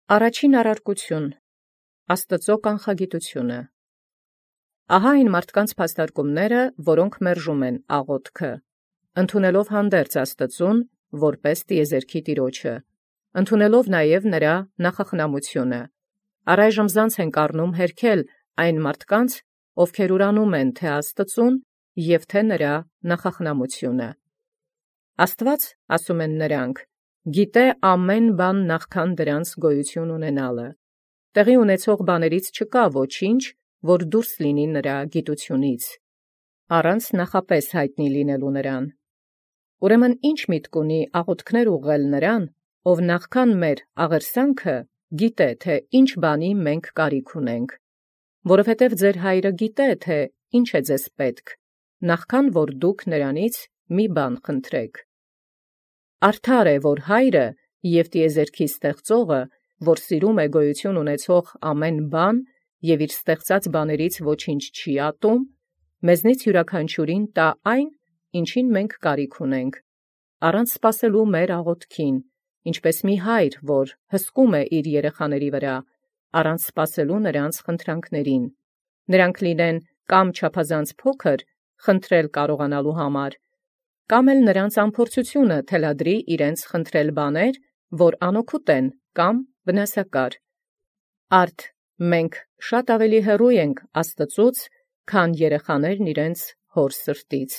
Առաջին առարկություն Աստուծոյ կանխագիտությունը։ Ահա այն մարդկանց փաստարկումները, որոնք մերժում են աղոթքը, ընդունելով հանդերձ Աստուծուն որպէս տիեզերքի Տիրոջը, ընդունելով նաև նրա նախախնամությունը։ Առայժմ զանց են կառնում հերքել այն մարդկանց, ովքեր ուրանում են թե Աստուծուն և թե նրա նախախնամությունը։ Աստուած, ասում են նրանք, գիտէ ամեն բան նախքան դրանց գոյություն ունենալը. տեղի ունեցող բաներից չկա ոչինչ, որ դուրս լինի նրա գիտութիւնից, առանց նախապես յայտնի լինելու նրան։ Ուրեմն ի՞նչ միտք ունի աղոթքներ ուղղել նրան, ով նախքան մեր աղերսանքը գիտէ թե ինչ բանի մենք կարիք ունենք, որովհետև ձեր Հայրը գիտէ թե ինչ է ձեզ պետք, նախքան որ դուք նրանից մի բան խնդրեք։ Արդար է, որ Հայրը և տիեզերքի ստեղծողը, որ սիրում է գոյություն ունեցող ամեն բան և իր ստեղծած բաներից ոչինչ չի ատում, մեզնից յուրաքանչյուրին տա այն, ինչին մենք կարիք ունենք, առանց սպասելու մեր աղոթքին, ինչպես մի հայր, որ հսկում է իր երեխաների վրա, առանց սպասելու նրանց խնդրանքներին, նրանք լինեն կամ չափազանց փոքր, խնդրել կարողանալու համար, կամ էլ նրանց անփորձությունը թելադրի իրենց խնդրել բաներ, որ անօգուտ են կամ վնասակար։ Արդ մենք շատ ավելի հեռու ենք Աստուծուց, քան երեխաներն իրենց հոր սրտից։